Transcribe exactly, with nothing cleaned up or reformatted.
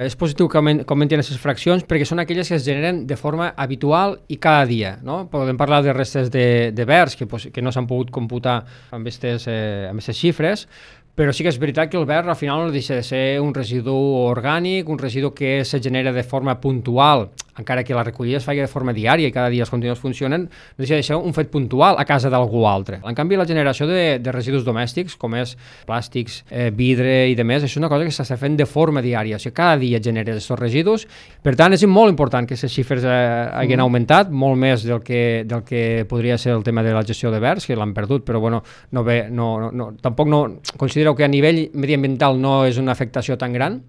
És positiu que comenten aquestes fraccions perquè són aquelles que es generen de forma habitual i cada dia. No? Podem parlar de restes de, de verds que, que no s'han pogut computar amb aquestes eh, amb aquestes xifres, però sí que és veritat que el verd al final no deixa de ser un residu orgànic, un residu que se genera de forma puntual, encara que la recollida es faci de forma diària i cada dia els contenidors funcionen, no deixa de ser un fet puntual a casa d'algú altre. En canvi, la generació de, de residus domèstics, com és plàstics, eh, vidre i demés, és una cosa que s'està fent de forma diària, o sigui, cada dia genera aquests residus. Per tant, és molt important que aquestes xifres eh, hagin mm. augmentat, molt més del que, del que podria ser el tema de la gestió de verds, que l'han perdut, però bueno, no ve, no, no, no, tampoc no considero que a nivell mediambiental no és una afectació tan gran.